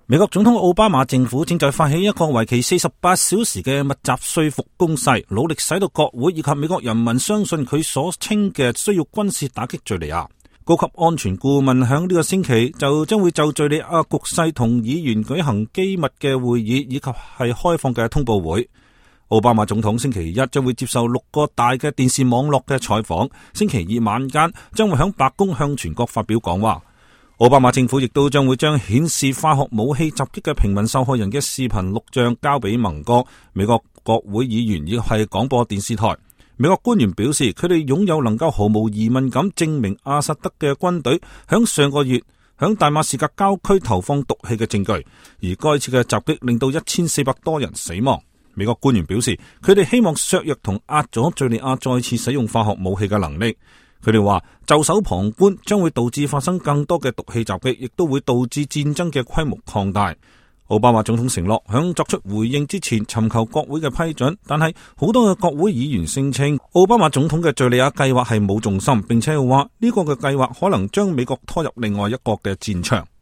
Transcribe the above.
美國總統奧巴馬政府正在發起一個為期48小時嘅密集說服攻勢，努力使到國會以及美國人民相信佢所稱嘅需要軍事打擊敘利亞。高級安全顧問響呢個星期就將會就敘利亞局勢同議員舉行機密嘅會議，以及係開放嘅通報會。奧巴馬總統星期一將會接受6個大嘅電視網絡嘅採訪，星期二晚間將會響白宮向全國發表講話。奧巴馬政府亦都將會將顯示化學武器襲擊嘅平民受害人嘅視頻錄像交俾盟國、美國國會議員以及係廣播電視台。美國官員表示，佢哋擁有能夠毫無疑問咁證明阿薩德嘅軍隊響上個月響大馬士革郊區投放毒氣嘅證據，而該次嘅襲擊令到1400多人死亡。美國官員表示，佢哋希望削弱同壓咗敘利亞再次使用化學武器嘅能力。佢哋話，袖手旁觀將會導致發生更多嘅毒氣襲擊，亦都會導致戰爭嘅規模擴大。奧巴馬總統承諾響作出回應之前尋求國會嘅批准，但係好多嘅國會議員聲稱奧巴馬總統嘅敘利亞計劃係冇重心，並且話呢個嘅計劃可能將美國拖入另外一個嘅戰場。